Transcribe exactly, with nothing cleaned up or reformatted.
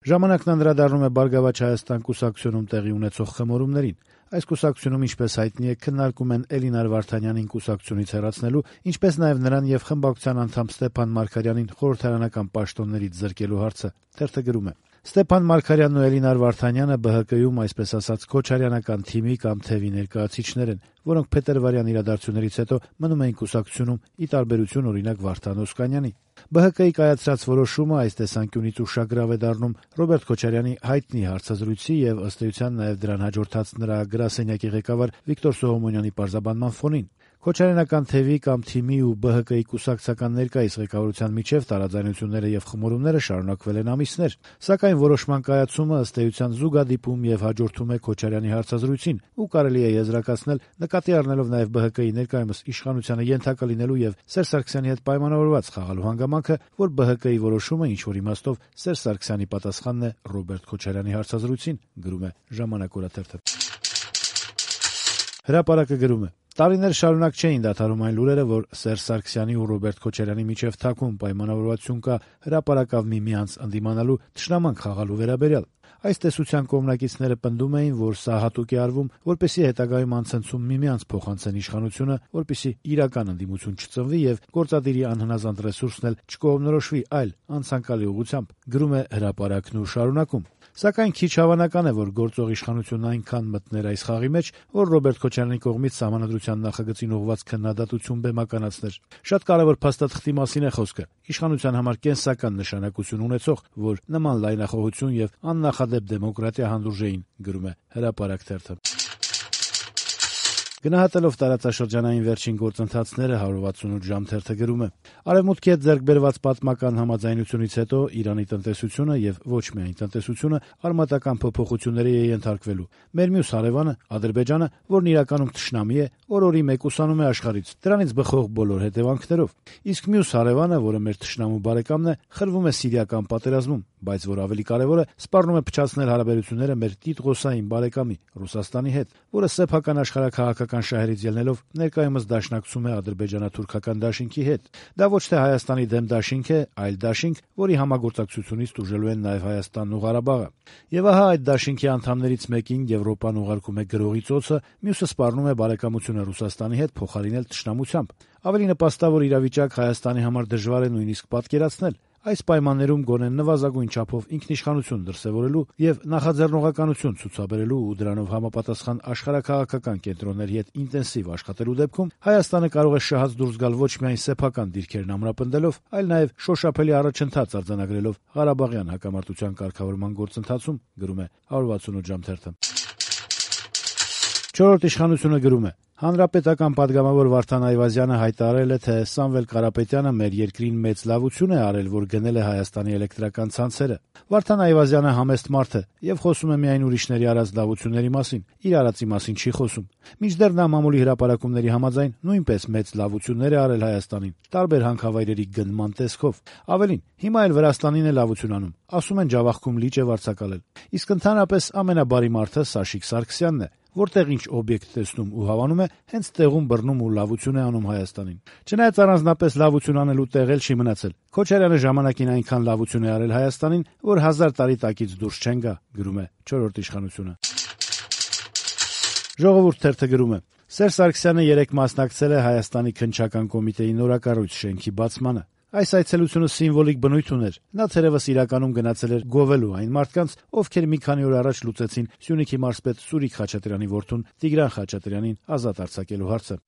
Ժամանակն անդրադառնում է «Բարգավաճ Հայաստան» կուսակցությունում տեղի ունեցող խմորումներին։ Այս կուսակցությունում, ինչպես հայտնի է, քննարկում են Էլինար Վարդանյանին կուսակցությունից հեռացնելու, ինչպես նաև նրան եւ խմբակցության անդամ Ստեփան Մարգարյանին խորհրդարանական պաշտոններից զրկելու հարցը։ Թերթը գրում է. Ստեփան Մարգարյանն ու Էլինար Վարդանյանը Բ Հ Կում, այսպես ասած, քոչարյանական թիմի կամ թևի ներկայացիչներ են, որոնք փետրվարյան իրադարձություններից հետո մնում էին կուսակցությունում, ի տարբերություն օրինակ Վարդան Օսկանյանի։ Բ Հ Կի կայացրած որոշումը այս տեսանկյունից ուշագրավ է դառնում Ռոբերտ Քոչարյանի հայտնի հարցազրույցի եւ ըստ էության նաեւ դրան հաջորդած նրա գրասենյակի ղեկավար Վիկտոր Սողոմոնյանի պարզաբանման ֆոնին։ Քոչարյանական թևի կամ թիմի ու Բ Հ Կի կուսակցական ներկայիս ղեկավարության միջև տարաձայնությունները եւ խմորումները շարունակվել են ամիսներ, սակայն որոշման կայացումը ըստ էության զուգադիպում եւ հաջորդում է Քոչարյանի հարցազրույցին, ու կարելի է եզրակացնել, նկատի առնելով նաեւ Բ Հ Կի ներկայումս իշխանությանը ենթակա լինելու եւ Սերժ Սարգսյանի հետ պայմանավորված խաղալու հանգամանքը, որ Բ Հ Կի որոշումը ինչ որ իմաստով Սերժ Սարգսյանի պատասխանն է Ռոբերտ Քոչարյանի հարցազրույցին, գրում է Ժամանակ օրաթերթը։ Հրապարակը գրում է. Տարիներ շարունակ չէին դադարում այն լուրերը, որ Սերժ Սարգսյանի ու Ռոբերտ Քոչարյանի միջև թաքուն պայմանավորվածություն կա հրապարակավ միմյանց ընդդիմանալու, թշնամանք խաղալու վերաբերյալ։ Այս տեսության կողմնակիցները պնդում էին, որ սա հատուկ է արվում, որպեսզի հետագայում անցնցում միմյանց փոխանցեն իշխանությունը, որպեսզի իրական ընդդիմություն չծնվի եւ գործադիրի անհնազանդ ռեսուրսն էլ չկողմնորոշվի այլ անցանկալի ուղղությամբ, գրում է հրապարակն ու շարունակում։ Սակայն քիչ հավանական է, որ գործող իշխանությունն այնքան մտներ այս խաղի մեջ, որ Ռոբերտ Քոչարյանի կողմից Սահմանադրության նախագծին ուղղված քննադատություն բեմականացներ։ Շատ կարևոր փաստաթղթի մասին է խոսքը, իշխանության համար կենսական նշանակություն ունեցող, որ նման լայնախոհություն եւ աննախադեպ դեմոկրատիա հանդուրժեին, գրում է Հրապարակ թերթը։ Գնահատելով տարածաշրջանային վերջին գործընթացները հարյուր վաթսունութ ժամ թերթը գրում է. Արևմուտքի հետ ձեռք բերված պատմական համաձայնությունից հետո Իրանի տնտեսությունը եւ ոչ միայն տնտեսությունը արմատական փոփոխությունների է ենթարկվելու։ Մեր մյուս հարևանը Ադրբեջանը, որն իրականում թշնամի է, օր-օրի մեկուսանում է աշխարհից, դրանից բխող բոլոր հետևանքներով։ Իսկ մյուս հարևանը, որը մեր թշնամու բարեկամն է, խրվում է սիրիական պատերազմում, բայց որ ավելի կարևոր է, սպառնում է փչացնել հարաբերությունները մեր տիտղոսային բարեկամի Ռուսաստանի հետ, որը սեփական աշխարհաքաղաքական շահերից ելնելով ներկայումս դաշնակցում է ադրբեջանա-թուրքական դաշինքի հետ։ Դա ոչ թե Հայաստանի դեմ դաշինք է, այլ դաշինք, որի համագործակցությունից տուժելու են նաև Հայաստանն ու Ղարաբաղը։ Եվ ահա այդ դաշինքի անդամներից մեկին Եվրոպան ուղարկում է գրողի ծոցը, մյուսը սպառնում է բարեկամությունը Ռուսաստանի հետ փոխարինել թշնամությամբ։ Ավելի նպաստավոր իրավիճակ Հայաստանի համար դժվար է նույնիսկ պատկերացնել։ Այս պայմաններում գոնե նվազագույն չափով ինքնիշխանություն դրսևորելու եւ նախաձեռնողականություն ցուցաբերելու ու դրանով համապատասխան աշխարհաքաղաքական կենտրոնների հետ ինտենսիվ աշխատելու դեպքում Հայաստանը կարող է շահած դուրս գալ ոչ միայն սեփական դիրքերն ամրապնդելով, այլ նաեւ շոշափելի առաջընթաց արձանագրելով Ղարաբաղյան հակամարտության կարգավորման գործընթացում, գրում է հարյուր վաթսունութ ժամ թերթը։ Չորրորդ իշխանությունը գրում է. Հանրապետական պատգամավոր Վարդան Այվազյանը հայտարարել է, թե Սամվել Կարապետյանը մեր երկրին մեծ լավություն է արել, որ գնել է Հայաստանի էլեկտրական ցանցերը։ Վարդան Այվազյանը համեստ մարդ է եւ խոսում է միայն ուրիշների արած լավությունների մասին, իր արածի մասին չի խոսում։ Մինչդեռ նա մամուլի հրապարակումների համաձայն նույնպես մեծ լավություններ է արել Հայաստանին, տարբեր հանքավայրերի գնման տեսքով։ Ավելին, հիմա էլ Վրաստանին է լավություն անում, ասում են Ջավախքում լիճ է վարձակալել։ Իսկ ընդհանրապես ամենաբարի մարդը Սաշիկ Սարգսյանն է, որտեղ ինչ օբյեկտ տեսնում ու հավանում է, հենց տեղում բռնում ու լավություն է անում Հայաստանին։ Չնայած առանձնապես լավություն անելու տեղ էլ չի մնացել։ Քոչարյանը ժամանակին այնքան լավություն է արել Հայաստանին, որ հազար տարի տակից դուրս չեն գա, գրում է չորրորդ իշխանությունը։ Ժողովուրդ թերթը գրում է. Սերժ Սարգսյանը երեկ մասնակցել է Հայաստանի քննչական կոմիտեի նորակառույց շենքի բացմանը։ Այս այցելությունը սիմվոլիկ բնույթ ուներ։ Նա թերևս իրականում գնացել էր գովելու այն մարդկանց, ովքեր մի քանի օր առաջ լուծեցին Սյունիքի մարզպետ Սուրիկ Խաչատրյանի որդուն Տիգրան Խաչատրյանին ազատ արձակելու հարցը։